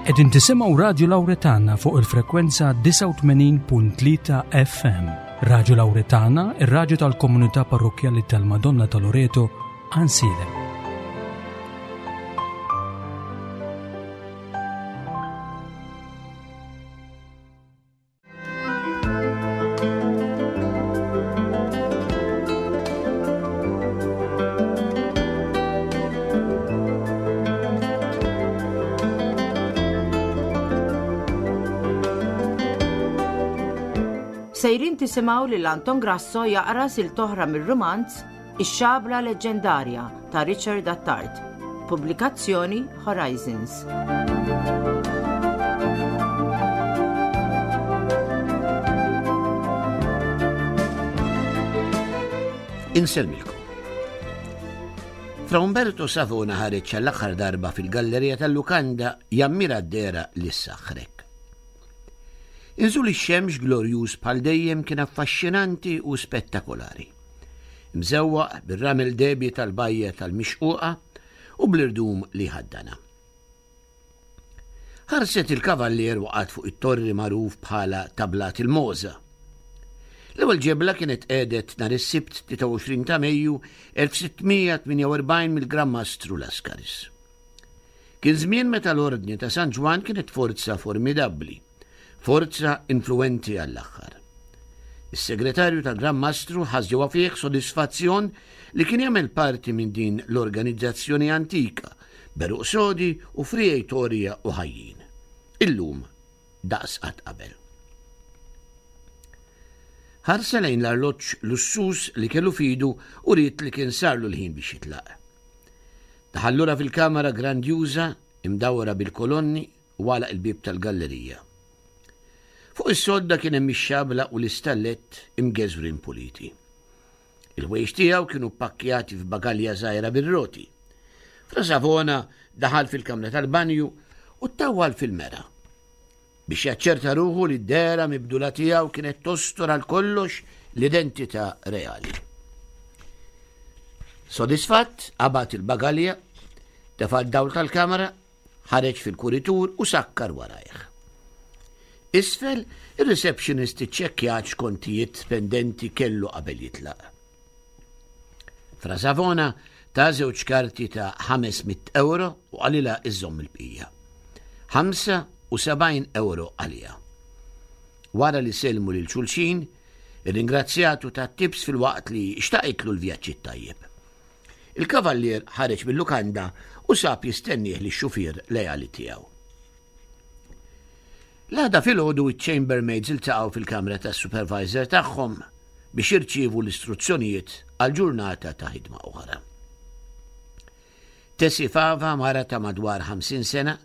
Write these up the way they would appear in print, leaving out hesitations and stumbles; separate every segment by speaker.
Speaker 1: Qegħdin tisimgħu Radju Lawretana fuq il-frekwenza 89.3 FM. Radju Lawretana, ir-radju tal-komunità parrokkjali tal-Madonna ta' Loreto, Ansilem.
Speaker 2: Sejrin tisimgħu lil Anton Grasso jaqra sil toħra mir-rumanz Ix-Xabla Leġġendarja ta' Richard Attard. Pubblikazzjoni Horizons.
Speaker 3: Insellmilkom. Fra Umberto Savona ħareġ għall-aħħar darba fil-gallerija tal-lukanda jammira d-dehra li ssaħħrek. Inżul ix-xemx glorjuż bħal dejjem kien affaxxinanti u spettakolari. Mżewwaq bir-ramel dehbi tal-bajja tal-Mixquqa u bl-irdum li jħaddanha. Ħarset il-kavallier waqgħet fuq it-torri magħruf bħala ta' Blat il-Mogħża. L-ewwel ġebla kienet tqiegħdet nhar is-Sibt 23 ta' Mejju 1648 mill-Gran Mastru Lascaris. Kien żmien meta l-Ordni ta' San Ġwann kienet forza formidabbli, forza influwenti għall-aħħar. Is-segretarju tal-Gran Mastru ħass ġewwa fih sodisfazzjon li kien jagħmel parti minn din l-organizzazzjoni antika, b'għeruq sodi u friegħi torja u ħajjin. Illum daqs qatt qabel. Ħarsa lejn l-arloġġ lussuż li kellu f'idu u ried li kien sarlu l-ħin biex jitlaq. Daħal lura fil-kamra grandjuża imdawra bil-kolonni u għalaq il-bieb tal-gallerija. Fuq is-sodda kien hemm ix-xabla u l-istallett imgeżwrin puliti. Il-ħwejjeġ tiegħu kienu ppakkjati f'bagalja żgħira bir-roti. Fra Savona daħal fil-kamra tal-banju u ttawwal fil-mera. Biex jaċċerta ruħu li d-dehra mibdula tiegħu kienet tostor għal kollox l-identità reali. Sodisfatt, qabad il-bagalja, tefa' d-dawl tal-kamra, ħareġ fil-kuritur u sakkar warajh. Isfel, ir-receptionist iċċekkjat x'kontijiet pendenti kellu qabel jitlaq. Fra Savona ta żewġ karti ta' 500 euro u qalilha iżżomm il-bqija. 75 euro għaliha. Wara li sellmu lil xulxin, irringrazzjatu tat-tips filwaqt li xtaqitlu l-vjaġġ it-tajjeb. Il-kavallier ħareġ mil-lukanda u sab jistennieh lix-xufier leali tiegħu. L-għada filgħodu iċ-chambermaids iltaqgħu fil-kamra tas-supervisor tagħhom biex jirċievu l-istruzzjonijiet għal ġurnata ta' ħidma oħra. Tessie Fava, mara ta' madwar 50 sena,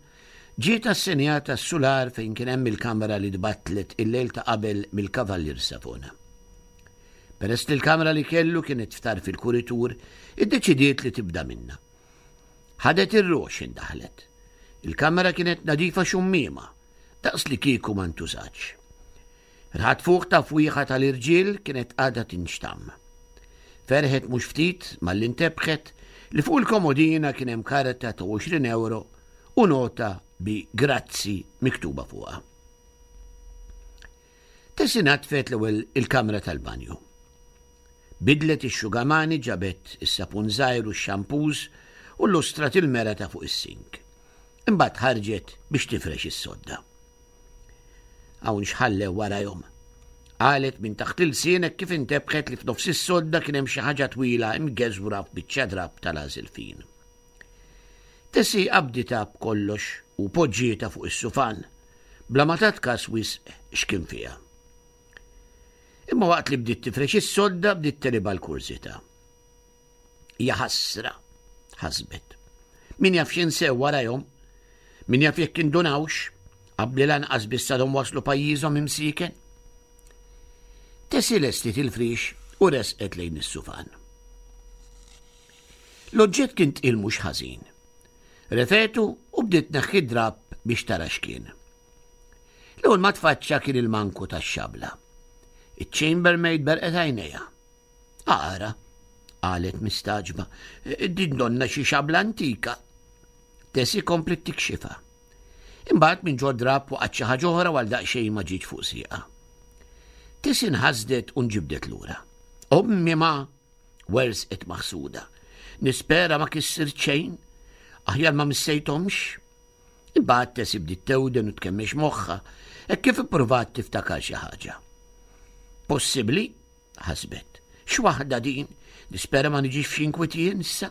Speaker 3: ġiet assenjata s-sular fejn kien hemm il-kamra li tbattlet il-lejl ta' qabel mill-Kavallier Savona. Peress li l-kamra li kellu kienet f'tarf il-kuritur, iddeċidiet li tibda minnha. Ħadet ir-rox indaħlet. Il-kamra kienet nadifa xummiema, daqs li kieku ma ntużatx. Rħat fuq ta' fwieħa tal-irġiel kienet għadha tinxtamm. Ferħet mhux ftit malli ntebħet li fuq il-komodina kien hemm karta ta' 20 euro u nota bi grazzi miktuba fuqha. Tessie naddfet l-ewwel il-kamra tal-banju. Bidlet ix-xugamani, ġabet is-sapun żgħir u x-xampuż u llustrat il-mera ta' fuq is-sink. Imbagħad ħarġet biex tifrex is-sodda. Hawn x'ħallew warajhom. Qalet minn taħt ilsien hekk kif intebħet li f'nofs is-sodda kien hemm xi ħaġa twila imgeżwra f'biċċa drapp tal-għażel fin. Tessie qabditha b'kollox u poġġietha fuq is-sufan, bla ma tat kas wisq x'kien fiha. Imma waqt li bdiet tifrex is-sodda bdiet tegħlibha l-kurżità. Hija ħasra, ħasbet. Min jaf x'insew warajhom, min jaf jekk indunawx, qabli lanqas biss għadhom waslu pajjiżhom imsieken. Tessie lestiet il-frix u resqet lejn is-sufan. L-oġġett kien tqil mhux ħażin. Refetu u bdiet tneħħi d-drapp biex tara x'kien. L-ewwel ma tfaċċa kien il-manku tax-xabla. Iċ-chambermaid berqet għajnejha. Ara, qalet mistagħġba, din donna xi xabla antika. Tessie kompliet tikxifha. Imbagħad minn ġo drapp waqgħet xi ħaġa oħra u għal daqsxejn ma ġietx fuq sieqha. Tessie nħasdet u nġibdet lura. Ommi ma! Wersqet maħsuda. Nispera ma kissirt xejn. Aħjar ma missejthomx. Imbagħad Tessie bdiet tewden u tkemmex moħħha, hekk kif ippruvat tiftakar xi ħaġa. Possibbli? ħasbet. X'waħda din? Nispera ma niġix f'xi inkwiet jien issa.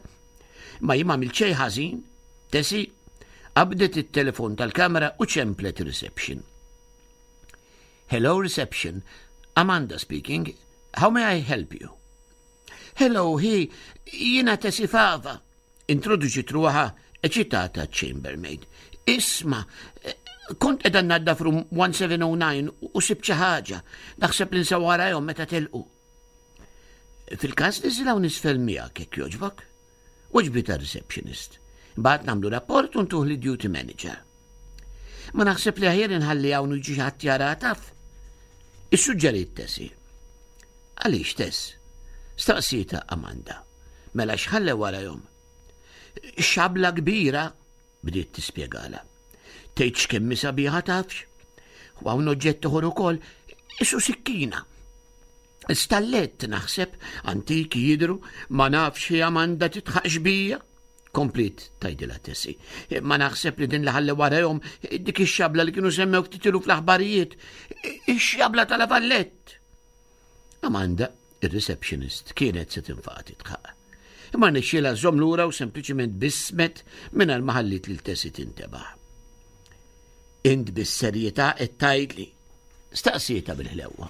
Speaker 3: Ma jien m'għamilt xejn ħażin. Tessie qabdet it-telefon tal-kamera u ċemplet reception. Hello reception, Amanda speaking, how may I help you? Hello, hi, jiena Tessie Fava. Introduċiet ruħha eċitata ċ-chambermaid. Isma', kont qiegħda nnaddaf room 1709 u sibt xi ħaġa. Naħseb li nsew warajhom meta telqu. Fil-każ niżil hawn isfel miegħek jekk jogħġbok. Weġbitha r-receptionist. Imbagħad nagħmlu rapport u ntuh lid-duty manager. Ma naħseb li aħjar inħalli hawn u jiġi ħadd jara taf. Issuġġeriet Tessie. Għaliex Tess? Staqsietha Amanda. Mela x'ħallew warajhom? Xabla kbira, bdiet tispjegala. Tgħid x'kemm hi sabiħa tafx? U hawn oġġett ieħor ukoll, isu sikkina. Stallett naħseb, antiki jidhru, ma nafx hi Amanda titħaqx bija. Kompliet tgħidilha Tessie. Ma naħseb li din li ħallew warajhom dik ix-xabla li kienu semmew ftit ilu fl-aħbarijiet. Ix-xabla tal-Avallett. Amanda, ir-receptionist, kienet se tinfaqa' titħaq. Imma rnexxielha żżomm lura u sempliċiment bismet mingħajr ma ħalliet lil Tessie tintebaħ. Int bis-serjetà qed tgħidli? Staqsietha bil-ħlewwa.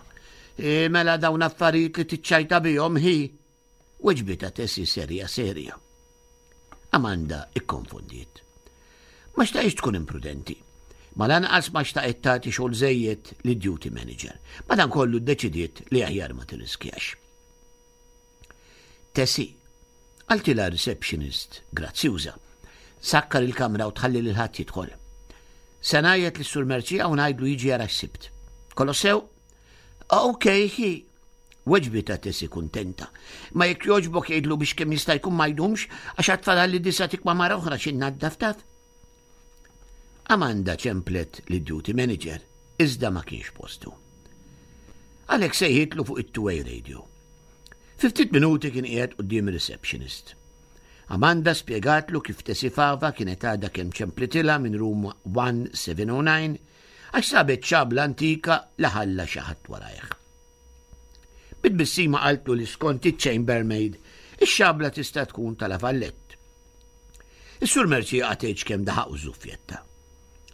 Speaker 3: E, mela dawn affarijiet li tiċċajta bihom hi? Weġbitha Tessie serja serja. Amanda ikkonfondiet. Ma xtaqitx tkun imprudenti. Ma lanqas ma xtaqet tagħti xogħol żejjed lid-duty manager. Madankollu ddeċidiet li aħjar ma tirriskjax. Tessie, qaltilha receptionist grazzjuża, sakkar il-kamra u tħalli lil ħadd jidħol. Se ngħajjet lis-Sur Merċija u ngħidlu jiġi jara x'sibt. Kollox sew? Ok, hi. Weġbitha Tessie kuntenta. Ma jekk jogħġbok jgħidlu biex kemm jista' jkun ma jdumx għax għad fadalli disa' tikma mara oħra xi nnaddaf taf. Amanda ċemplet lid-duty manager, iżda ma kienx postu. Għalhekk sejħitlu fuq it-two-way radio. Fi ftit minuti kien qiegħed quddiem ir-receptionist. Amanda spjegatlu kif Tessie Fava kienet għadha kemm ċemplitilha minn room 1709 għax sabet xabla antika li ħalla xi ħadd warajh. Bi tbissima qaltlu li skont iċ-chambermaid, ix-xabla tista' tkun ta' La Vallette. Is-Sur Mercier qatgħidx kemm daħaq u żuffjetta.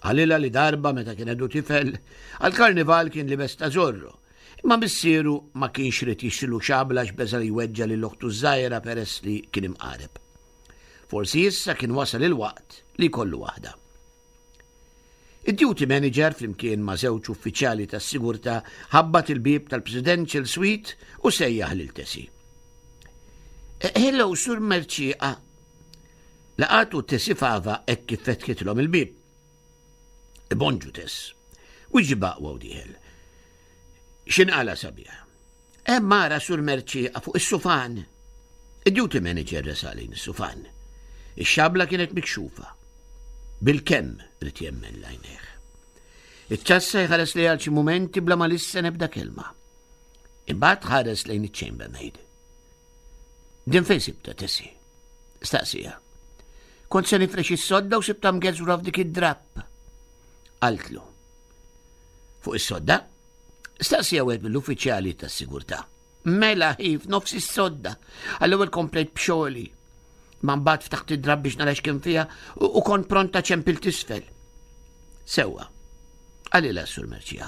Speaker 3: Qalilha li darba meta kien għadu tifel, għall-karnival kien libes ta' Zorro, imma missieru ma kienx ried jixtrilu xabla għax beża' li jweġġa' lil oħtu ż-żgħira peress li kien imqareb. Forsi issa kien wasal il-waqt li jkollu waħda. Id-duty manager flimkien ma' żewġ uffiċjali tas-sigurtà ħabbat il-bieb tal-Presidential Suite u sejjaħ lil Tessie. Eh, hello, Sur Merċieqa. Laqatu Tessie Fava hekk kif fetħitlhom il-bieb. Bonġu Tess. Wiġi baqwa u dieħel. X'inqala sabiħ. Hemm mara Sur Merċieqa fuq is-sufan. Id-duty manager resaq lejn is-sufan. Ix-xabla kienet mikxufa. Bilkemm ried jemmen l-għajnejh. Iċ-ċassa jħares lejha għal xi mumenti bla ma lissen ebda kelma. Imbagħad ħares lejn iċ-chambermaid. Din fejn sibta Tessie? Staqsija. Kont se nifrex is-sodda u sibta mgeżwra f'dik id-drapp. Qaltlu. Fuq is-sodda? Staqsija wieħed mill-uffiċjali tas-sigurtà. Mela hi f'nofs is-sodda. Għall-ewwel komplejt b'xogħli. Ma mbagħad ftaħt id-drab biex nara x'kien fiha u kont pronta ċempil tisfel. Sewwa. Qalilha s-Sur Merċija.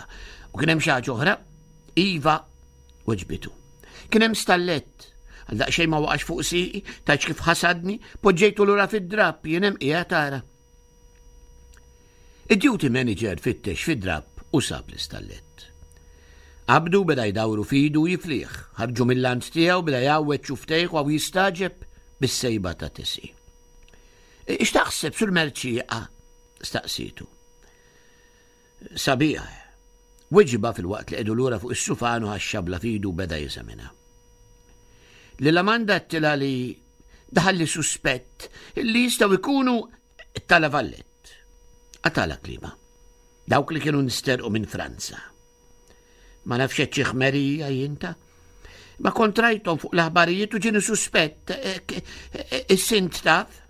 Speaker 3: U kien hemm xi ħaġa oħra? Iva, weġbitu. Kien hemm stallett. Għal daqsxejn ma waqax fuq siqi, tajx kif ħasadni, poġġejtu lura fid-drapp, jien hemm qiegħed tara. Id-duty manager fittex fid-drapp u sab l-istallett. Qabdu beda jdawru f'idu u jiflih, ħarġu mill-lant tiegħu beda jgħawweġ xuftejh u jistagħġeb bis-sejba ta' Tessie. X'taħseb sur Merċieqa? staqsietu. Sabiħ. Weġibha filwaqt li qegħdu lura fuq is-sufan u ħax-xabla f'idu u beda jeżaminha. Lil Amanda għedtilha li daħalli suspett li jistgħu jkunu ta' La Vallette. Qatala klima. Dawk li kienu nsterqu minn Franza. Ma nafx xi ħmerija jinta. Ma kont rajthom fuq l-aħbarijiet u ġieni suspett eh, eh, is-sint taf.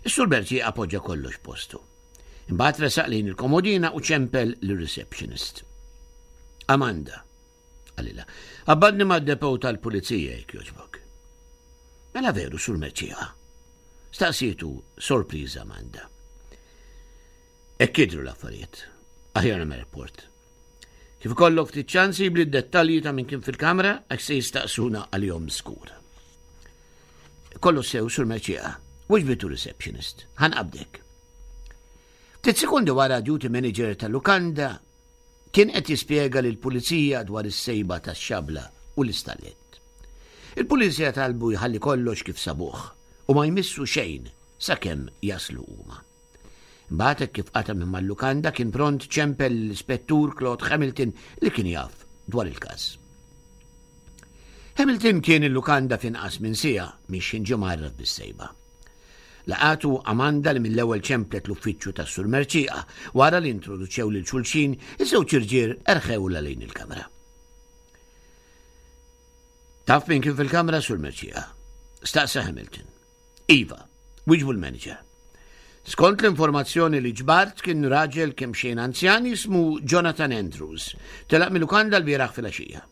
Speaker 3: Is-Sur Berti appoġġa kollox postu. Imbagħad resaq lejn il-komodina u ċempel lir-receptionist. Amanda, qalilha, abbadni mad-depow tal-pulizija jekk jogħġbok. Mela veru, Sur Merċieqa? Staqsietu sorpriża Amanda. Hekk jidhru l-affarijiet. Aħjar nagħmel rapport. Kif ikollok ftit ċans jibli d-dettalji ta' min kien fil-kamra għax se jistaqsuna għalihom skur. Kollu sew sur Merċieqa, wiġbitu receptionist, ħanqabdek. Ftit sekondi wara duty manager tal-lukanda kien qed jispjega lil pulizija dwar is-sejba tax-xabla u l-istallett. Il-pulizija talbu jħalli kollox kif sabuh u ma jmissu xejn sakemm jaslu huma. Imbagħad hekk kif qata' minn mal-lukanda kien pront ċempel lill-Ispettur Claude Hamilton li kien jaf dwar il-każ. Hamilton kien il-lukanda f'inqas minn siegħa minn x'ħin ġie mgħarraf bis-sejba. Laqatu Amanda li mill-ewwel ċemplet l-uffiċċju tas-Sur Mercieqa. Wara li introduċew lil xulxin, iż-żewġ irġiel erħewlha lejn il-kamra. Taf min kien fil-kamra, Sur Mercieqa? Staqsa Hamilton. Iva, wieġbu l-manager. Skont l-informazzjoni li ġbart kien raġel kemm xejn anzjan jismu Jonathan Andrews. Telaq mill-lukanda l-bieraħ filgħaxija.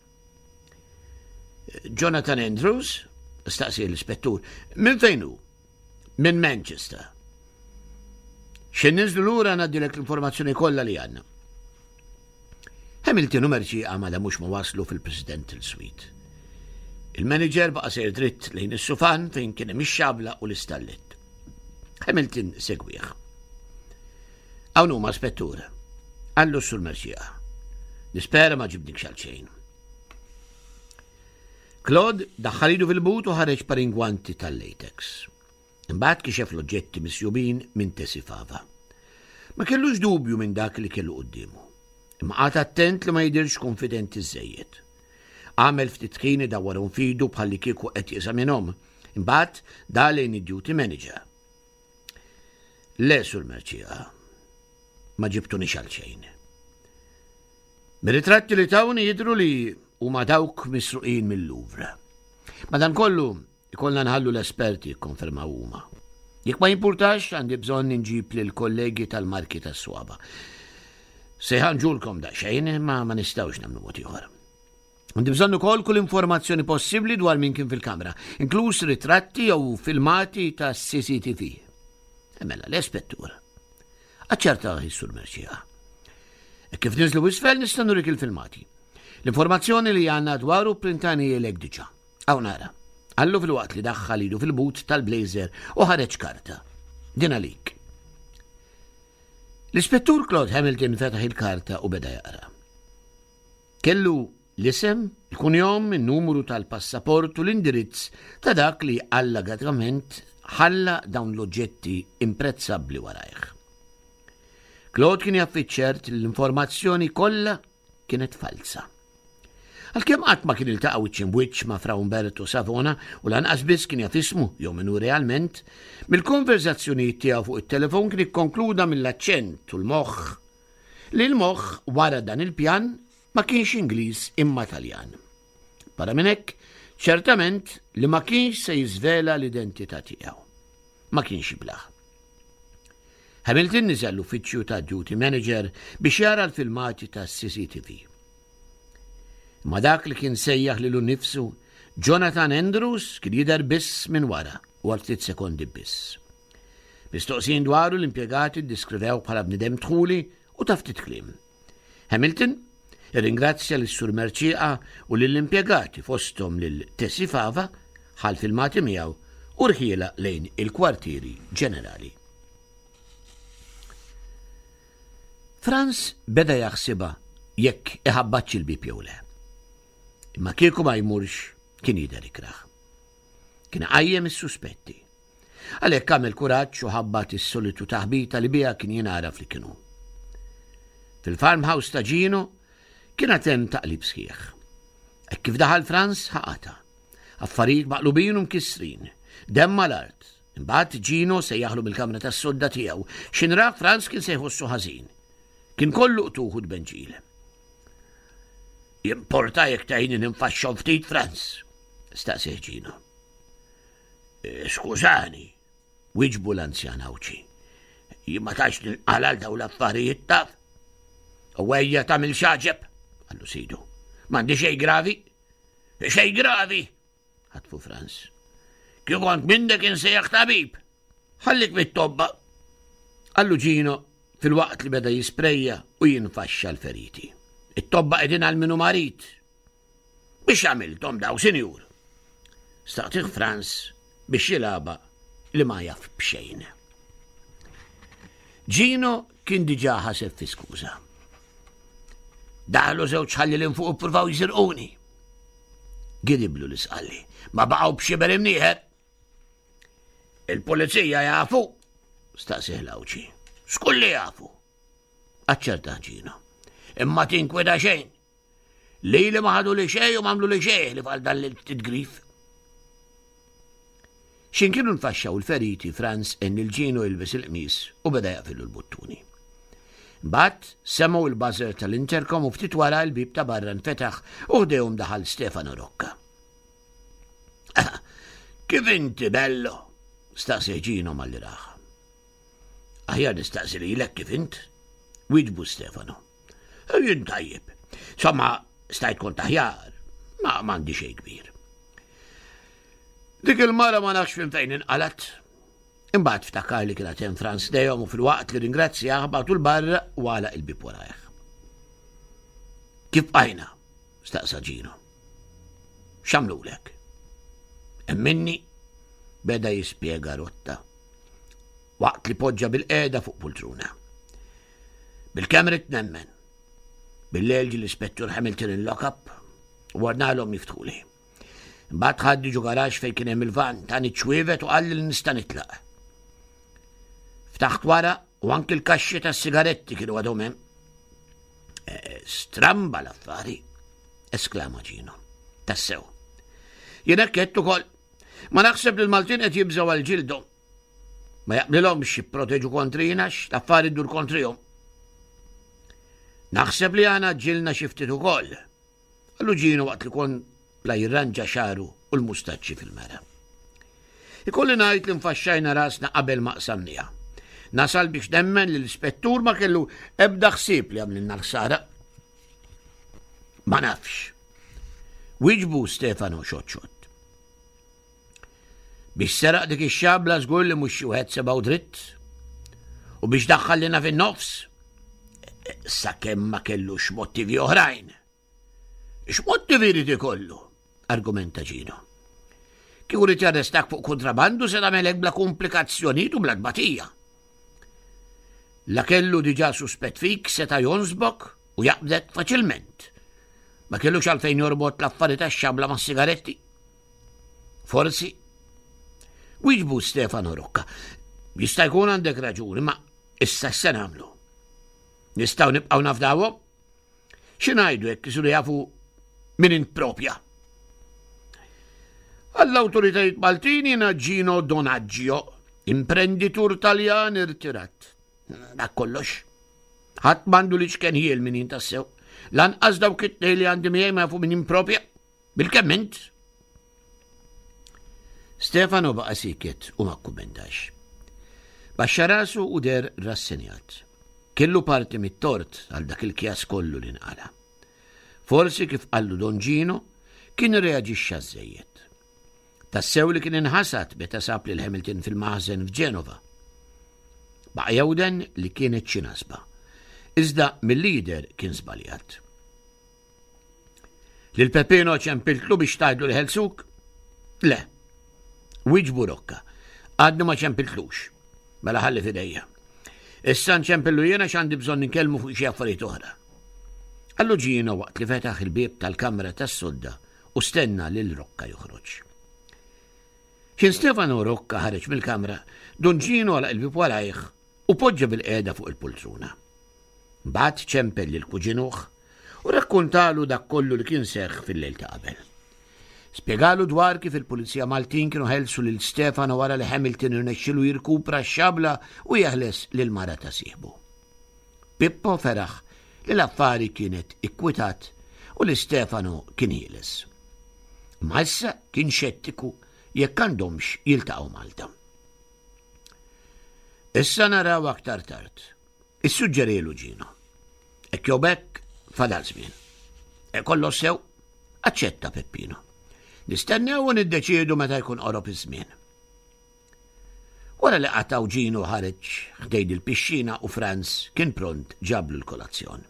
Speaker 3: Jonathan Andrews? Staqsi l-ispettur. Minn fejn hu? Minn Manchester. Xejn ninżlu lura ngħaddilek l-informazzjoni kollha li għandna. Hamilton u Merċieqa ma damux ma waslu fil-Presidential Suite. Il-manager baqa' sejr dritt lejn is-sufan fejn kien hemm ix-xabla u l-istallett. Hamilton segwih. Hawn huma spettur. Qallu s-sur Merċieqa. Nispera ma ġibnikx għal xejn. Claude daħħal idu fil-but u ħareġ paringwanti tal-latex. Imbagħad kixef l-oġġetti misjubin minn Tessie Fava. Ma kellux dubju minn dak li kellu quddiemu. Imma qagħad attent li ma jidhirx kunfidenti żżejjed. Għamel ftit ħin idawwarhom f'idu bħallikieku qed jeżaminhom. Imbagħad dar lejn id-duty manager. Le, Sur Mercieca, ma ġibtunix għal xejn. Mir-ritratti li tawni jidhru li huma dawk misruqin mil-Louvre. Madankollu, Ikollna nħallu l-esperti jikkonfermaw huma. Jekk ma jimpurtax, għandi bżonn inġib lill-kollegi tal-marki tas-swaba. Se jħanġulkom daqsxejn, imma ma nistgħux nagħmlu mod ieħor. Għandi bżonn ukoll kull informazzjoni possibbli dwar min kien fil-kamra, inkluż ritratti jew filmati ta' CCTV. E mela, l-ispettur. Aċċerta sur Merċija. E kif niżlu isfel nista' nurik il-filmati. L-informazzjoni li għandna dwaru printani lek diġà. Hawn ara. Qallu filwaqt li daħħal idu fil-but tal-blazer u ħareġ karta. Din għalik. L-Ispettur Claude Hamilton fetaħ il-karta u beda jaqra. Kellu l-isem, il-kunjom, il-numru tal-passaport u l-indirizz ta' dak li allegatament ħalla dawn l-oġġetti imprezzabbli warajh. Claude kien jaf fiċ-ċert li l-informazzjoni kollha kienet falza. Għalkemm qatt ma kien iltaqa' wiċċ imbwiċċ ma' Fra Umberto Savona u lanqas biss kien jaf ismu jew min hu realment, mill-konverżazzjonijiet tiegħu fuq it-telefon kien ikkonkluda mill-aċċent u l-moħħ li l-moħħ wara dan il-pjan ma kienx Ingliż imma Taljan. Barra minn hekk, ċertament li ma kienx se jiżvela l-identità tiegħu. Ma kienx jiblah. Hamilton niżel l-uffiċċju ta' duty manager biex jara l-filmati ta' CCTV. Ma dak li kien sejjaħ lilu nnifsu Jonathan Andrews kien jidher biss minn wara u għal ftit sekondi biss. Mistoqsijin dwaru l-impjegati ddiskrivew bħala bnidem dħuli u ta' ftit kliem. Hamilton irringrazzja lis-Sur Mercieca u lill-impjegati fosthom lil Tessie Fava ħa l-filmati miegħu u rħielha lejn il-kwartieri ġenerali. Franz beda jaħsibha jekk iħabbatx il-bieb jew le. Imma kieku ma jmurx kien jidher ikrah. Kien iqajjem is-suspetti. Għalhekk għamel kuraġġ u ħabbat is-solitu taħbita li biha kien jingħaraf li kien hu. Fil-farmhouse ta' Gino kien għad hemm taqlib sħiħ. Hekk kif daħal Franz ħaqata. Affarijiet maqlubin u mkissrin. Demm mal-art. Imbagħad Gino sejjaħlu mill-kamra tas-sodda tiegħu. X'inra Franz kien se jħossu ħażin. Kien kollu qtuħ u tbenġil. Jimporta jekk tgħinni ninfaxxhom ftit, Franz? staqsih Gino. Eh, skużani, wieġbu l-anzjan Għawdxi. Jien ma tantx ninqala għal dawn l-affarijiet taf. U ejja tagħmel xaġeb, qallu sidu. M'għandi xejn gravi. Xejn gravi, ħatfu Franz. Kif kont minnek insejjaħ tabib. Ħallik mit-tobba. Qallu Gino filwaqt li beda jisprejja u jinfaxxa l-feriti. It-tobba qegħdin għal minu marid. Biex għamilthom daw, sinjur? Staqtih Franz biex jilgħabha li ma jaf b'xejn. Gino kien diġà ħaseb fi skuża. Daħlu żewġ ħallilin fuq ippruvaw jisirquni. Gidiblu l-isqalli. Ma baqgħu b'xiber imnieħer. Il-pulizija jafu? Staqsih l-Għawdxi. Skulli jafu. Aċċertah Gino. Imma tinkwida xejn. Lili ma ħadu li xejn u m'għamlu li xejn li għal dan l-titgrif. X'in kienu nfaxxaw il-feriti Franz en il-ġinu jilbes il-qmis u beda jaqfillu l-buttuni. Mbagħad semgħu il-buzzer tal-intercom u ftit wara l-bib ta' barra nfetaħ u ħdejhom daħal Stefano Rocca. Kif inti bello? staqsi Ġino malli raħ. Aħjar nistaqsi lilek kif int? Wieġbu Stefano. Jien tajjeb. Somma, stajt kont aħjar, ma m'għandi xejn kbir. Dik il-mara ma nafx minn fejn inqalat. Imbagħad ftakar li kienet hemm Franz dejhom u filwaqt li ringrazzjah bagħtu l-barra u għalaq il-bib warajh. Kif bqajna? staqsa Ġino. X'għamlulek? Emminni beda jispjega rotta waqt li poġġa bil-qiegħda fuq pultruna. Bil-kemm ridt nemmen. Bil-lejl ġie l-Ispettur Hamilton il-lock-up u ordnalhom jiftħuli. Imbagħad ħadni ġo garaxx fejn kien hemm il-van, tani ċ-ċwievet u qalli li nista' nitlaq. Ftaħt wara u anki l-kaxxi tas-sigaretti kienu għadhom hemm. Eh, stramba l-affari, esklama Gino. Tassew. Jien hekk qed ukoll. Ma naħseb li l-Maltin qed jibżgħu għal ġildhom. Ma jaqblilhomx jipproteġu kontrina l-affari ddur kontrihom. Naħseb li għana ġilna xi ftit ukoll. Qallu Ġino waqt li kon la jirranġa xaru u l-mustaċċi fil-mera. Ikolli ngħid li nfaxxajna rasna qabel ma qsamniha. Nasal biex nemmen li l-ispettur ma kellu ebda ħsieb li għamlilna l-ħsara. Ma nafx. Wiġbu Stefano xotxot. Biex seraq dik ix-xabla żgur li mhux xi wieħed sebgħu dritt. U biex daħħal lina fin-nofs, sakemm ma kellux motivi oħrajn. X'motivi jrid ikollu? argumenta Ġino. Kieku rid jarrestak fuq kontrabandu se tagħmel hekk bla komplikazzjonijiet u bla tbatija. La kellu diġà suspett fik seta' jonsbok u jaqbdek faċilment. Ma kellux għalfejn jorbot l-affari tax-xabla mas-sigaretti. Forsi. Wieġbu Stefano Rocca. Jista' jkun għandek raġuni, ma issa x'se nagħmlu? Nistgħu nibqgħu nafdawhom? Xi ngħidu jekk isiru jafu min int propja? Għall-awtoritajiet Maltin jiena Gino Donaggio, imprenditur Taljan irtirat. Dak kollox. Ħadd m'għandu li ċken ħiel min jien tassew. Lanqas dawk it-tnejn li għandi miegħi ma jafu min jien propja. Bilkemm int? Stefano baqa' sieket u ma kkumentax. Baxxa rasu u deher rassenjat. Kellu parti mit-tort għal dak il-kjas kollu li nqala. Forsi kif qallu Don Gino, kien irreaġixxa żżejjed. Tassew li kien inħasad meta sab lil Hamilton fil-maħżen f'Ġenova. Baqa' jewden li kienet xi nasba. Iżda mill-lider kien żbaljat. Lil Peppino ċempiltlu biex tgħidlu li ħelsuk? Le. Wieġbu Rocca. Għadni ma ċempiltlux. Mela ħalli fidejja. Issa nċempillu jiena x'għandi bżonn inkellmu fuq xi affarijiet oħra. Qallu Gino waqt li fetaħ il-bieb tal-kamra tas-sodda u stenna lil Rocca joħroġ. X'in Stefano Rocca ħareġ mill-kamra, Don Gino għalaq il-bieb warajh u poġġa bil-qiegħda fuq il-pultruna. Mbagħad ċempel lil kuġinuh u rrakkuntalu dak kollu li kien seħħ fil-lejl ta' qabel. Spjegalu dwar kif il-Pulizija Maltin kienu ħelsu lil Stefano wara li Hamilton irnexxilu jirkupra x-xabla u jeħles lil mara ta' sieħbu. Pippo feraħ li l-affari kienet ikkwitat u li Stefano kien ħieles. Ma issa kien xettiku jekk għandhomx jiltaqgħu Malta. Issa naraw aktar tard. Issuġġerielu Gino. Hekk jew b'hekk fadal żmien. E kollox sew, aċċetta Peppino. Nistennew u niddeċiedu meta jkun qorob iż-żmien. Wara li qatgħu Gino ħareġ ħdejn il-pixxina u Franz kien pront ġablu l-kolazzjon.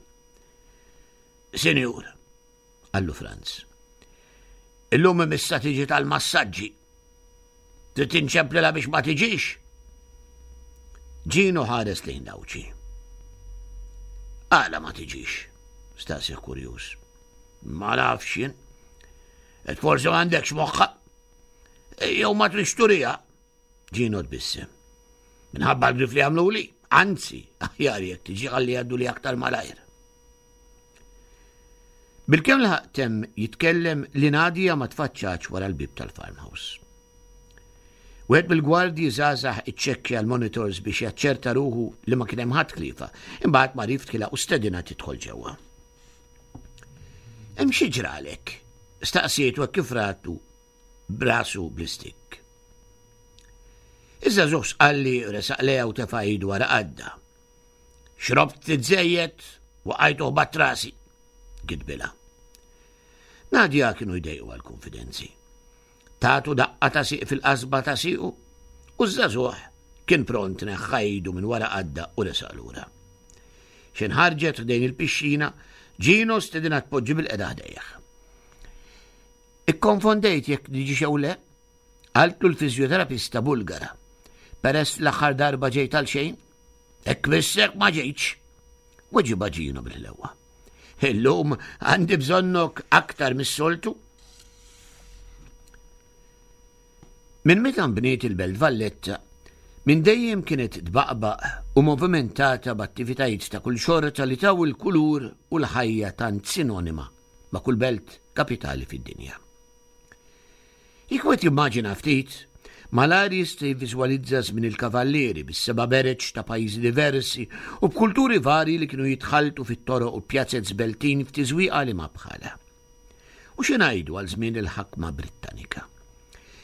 Speaker 3: Sinjur, qallu Franz. Illum imissa tiġi tal-massaġġi. Trid tinċemplilha biex ma tiġix? Ġinu ħares lejn Dawċi. Għala ma tiġix? Staqsih kurjuż. Ma nafx jien. Et forsi m'għandekx moħħa. Jew ma trix turija. Ġino tbissem. Minħabba l-grif li għamluli, anzi, aħjar jekk tiġi ħalli jgħaddu li aktar malajr. Bilkemm laħaq temm jitkellem li Nadia ma tfaċċatx wara l-bieb tal-farmhouse. Wieħed mill-gwardji żgħażagħ iċċekkja l-monitors biex jaċċerta ruħu li ma kien hemm ħadd ħliefa, imbagħad mar jiftħilha u stedinha tidħol ġewwa. Hemm xi ġralek? Staqsietu hekk kif ratu b'rasu bl-istikk. Iż-żagħżugħ sqalli resaq lejha u tefa' idu wara qadda. Xrobt ftit żejjed, waqajt u ħbatt rasi, gidbilha. Nadia kienu jdejqu għall-kunfidenzi. Tatu daqqa ta' siq fil-qasba ta' siqu u ż-żagħżugħ kien pront neħħa idu minn wara qadda u resaq lura. X'in ħarġet ħdejn il-pixxina, Gino stedinha tpoġġi bil-qeda ħdejh. Ikkonfondejt jekk niġi xew le? Qaltlu l-fiżjoterapista Bulgara. Peress l-aħħar darba ġejt għal xejn, Hekk missek ma ġejtx. Weġiba Ġino bil-ħlewa. Illum għandi bżonnok aktar mis-soltu. Minn meta nbniet il-Belt Valletta, minn dejjem kienet tbaqbaq u movimentata b'attivitajiet ta' kull xorta li taw il-kulur u l-ħajja tant sinonima ma' kull belt kapitali fid-dinja. Jekk wieħed jimmaġina ftit, malajr jista' jivviżwalizza żmien il-Kavallieri bis-seba' bereġ ta' pajjiżi diversi u b'kulturi varji li kienu jitħalltu fit-toroq u pjazez beltin f'tiżwieqa li ma bħalha. U xi ngħidu għal żmien il-ħakma Brittanika?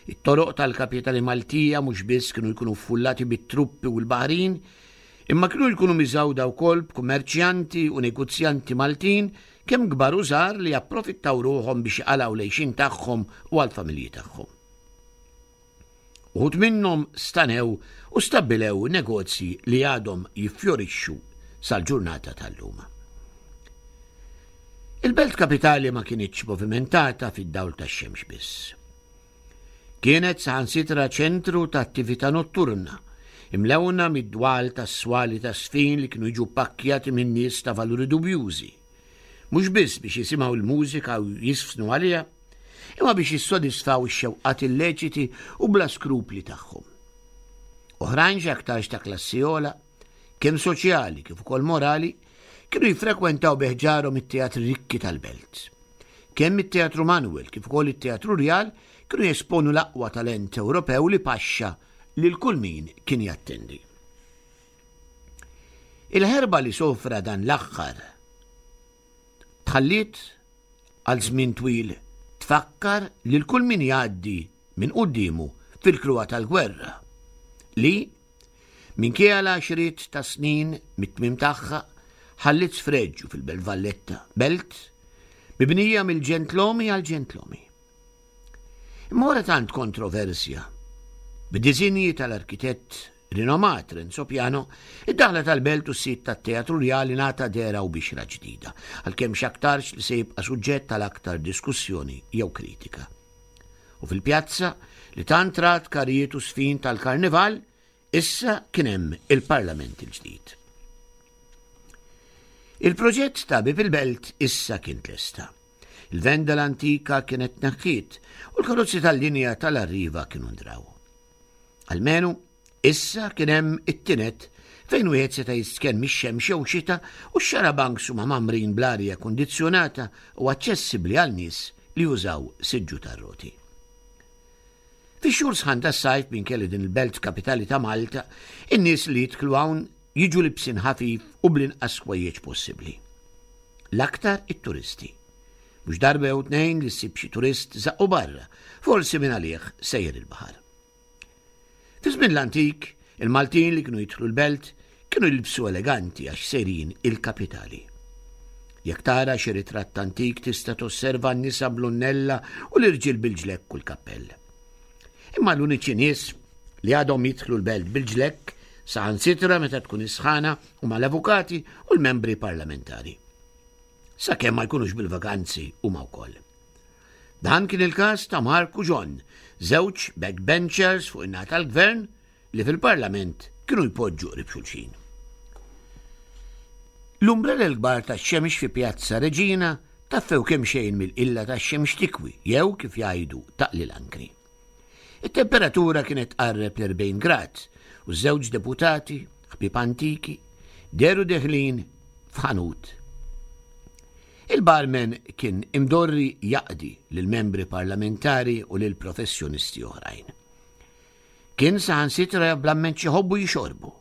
Speaker 3: It-toroq tal-kapitali Maltija mhux biss kienu jkunu ffullati bit-truppi u l-baħrin, imma kienu jkunu miżgħuda wkoll b'kummerċjanti u negozjanti Maltin kemm kbar u żgħar li japprofittaw ruħhom biex iqalgħu l-għixien tagħhom u għall-familji tagħhom. Uħud minnhom stanew u stabbilew negozji li għadhom jiffjorixxu sal-ġurnata tal-lum. Il-belt kapitali ma kinitx movimentata fid-dawl tax-xemx biss. Kienet saħansitra ċentru ta' attività notturna, imlewna mid-dwal tas-swali tas-sfin li kienu jiġu ppakkjati minn nies ta' valuri dubjużi, mhux biss biex jisimgħu l-mużika u jiżfnu għaliha, imma biex jissodisfaw ix-xewqat illeċiti u bla skrupli tagħhom. Oħrajn x'aktarx ta' klassi ogħla, kemm soċjali kif ukoll morali, kienu jiffrekwentaw bi ħġarhom it-teatri rikki tal-belt. Kemm it-Teatru Manuel kif ukoll it-Teatru Rjal kienu jesponu l-aqwa talent Ewropew li paxxa lil kull min kien jattendi. Il-ħerba li sofra dan l-aħħar tħalliet għal żmien twil tfakkar lil kull min jgħaddi minn quddiemu fil-kruha tal-gwerra li, Minkejja l-għaxriet ta' snin mit-tmiem tagħha, ħalliet sfreġju fil-Belt Valletta, belt mibnija mill-ġentlomi għall-ġentlomi. Imma wara tant kontroversja, b'disinji tal-arkitett rinomat Renzo Piano, id-daħla tal-belt u s-sit tat-Teatru Rjali ngħata dehra u bixra ġdida, għalkemm x'aktarx li se jibqa' suġġett għal aktar diskussjoni jew kritika. U fil-pjazza, li tant rat karijiet u sfin tal-karnival, issa kien hemm il-Parlament il-ġdid. Il-proġett ta' Bieb il-Belt issa kien tlesta. Il-venda l-antika kienet tneħħiet u l-karozzi tal-linja tal-Arriva kienu ndraw. Almenu, issa kien hemm it-tinet fejn wieħed seta' jistkenn mix-xemx jew xita u x-xarabanks huma mgħammrin bl-arja kundizzjonata u aċċessibbli għal nies li jużaw siġġu tar-roti. Fix-xhur sħan tas-sajf minkejja li din il-belt kapitali ta' Malta, in-nies li jidħlu hawn jiġu libsin ħafif u bl-inqas ħwejjeġ possibbli. L-aktar it-turisti. Mhux darba jew tnejn li ssib xi turist żaqqu barra, forsi minn għalih sejjer il-baħar. Fi żmien l-antik, il-Maltin li kienu jidħlu l-belt kienu jilbsu eleganti għax sejrin il-kapitali. Jekk tara xi ritratt antik tista' tosserva n-nisa bl-unnella u l-irġiel bil-ġlekk u l-kappell. Imma l-uniċi nies li għadhom jidħlu l-belt bil-ġlekk saħansitra meta tkun is-sħana huma l-avukati u l-membri parlamentari. Sakemm ma jkunux bil-vaganzi huma wkoll. Dan kien il-każ ta' Mark u John, żewġ backbenchers fuq in-naħa tal-gvern li fil-Parlament kienu jpoġġu qrib xulxin. L-umbrella l-kbar tax-xemx fi Pjazza Reġina taffew kemxejn mill-qilla tax-xemx tikwi jew, kif jgħidu, taqli l-ankri. It-temperatura kienet tqarreb l-40 grad u ż-żewġ deputati, ħbieb antiki, dehru deħlin f'ħanut. Il-barman kien imdorri jaqdi lill-membri parlamentari u lil professjonisti oħrajn. Kien saħansitra jaf bl-amment x'iħobbu jixorbu.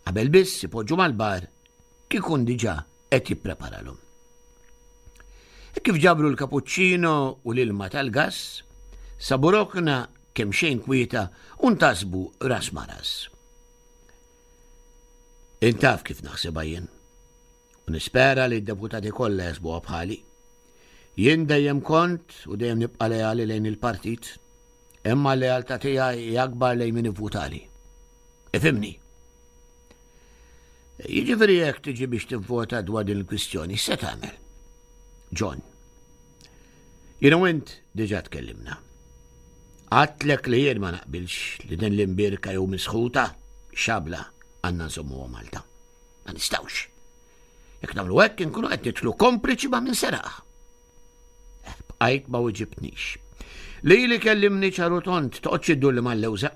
Speaker 3: Qabel biss ipoġġu mal-bar kien ikun diġà qed jippreparalhom. Hekk kif ġabru l-kapuċċino u l-ilma tal-gass, sabu rokna kemxejn kwieta u ntasbu ras ma' ras. Int taf kif naħsibha jien. U nispera li d-deputati kollha jaħsbuha bħali. Jien dejjem kont u dejjem nibqa' leali lejn il-partit, imma l-lealtà tiegħi hi akbar lejn min ivvutali. Ifhimni. Jiġifieri jekk tiġi biex tivvota dwar din il-kwistjoni, x'se tagħmel? John. Jien u int diġà tkellimna. Għadtlek li jien ma naqbilx li din l-imbierka jew misħuta xabla għandna nżommuha Malta. Ma nistgħux. Jekk nagħmlu hekk inkunu qed nidħlu kompliċi ma' min seraqha. Eh, bqajt ma weġibtnix. Lili kellimni ċar u tond, toqgħodx iddurli mal-lewża.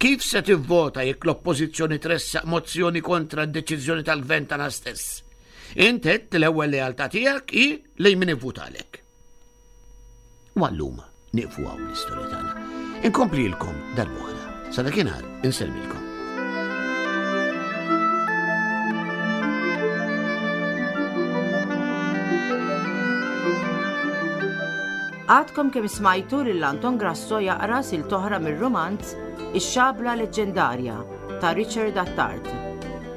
Speaker 3: Kif se tivvota jekk l-Oppożizzjoni tressaq mozzjoni kontra d-deċiżjoni tal-Gvern tagħna stess? Int għedt li l-ewwel lealtà tiegħek hi lejn min ivvutalek. U għallum nieqfu hawn l-istorja tagħna. Inkomplilkom darb'oħra. Sa dakinhar insellmilkom.
Speaker 2: Għadkom kemm smajtu lil Anton Grasso jaqra silt oħra mir-rumanz Ix-Xabla Leġġendarja ta' Richard Attard.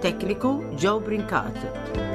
Speaker 2: Tekniku Joe Brincat.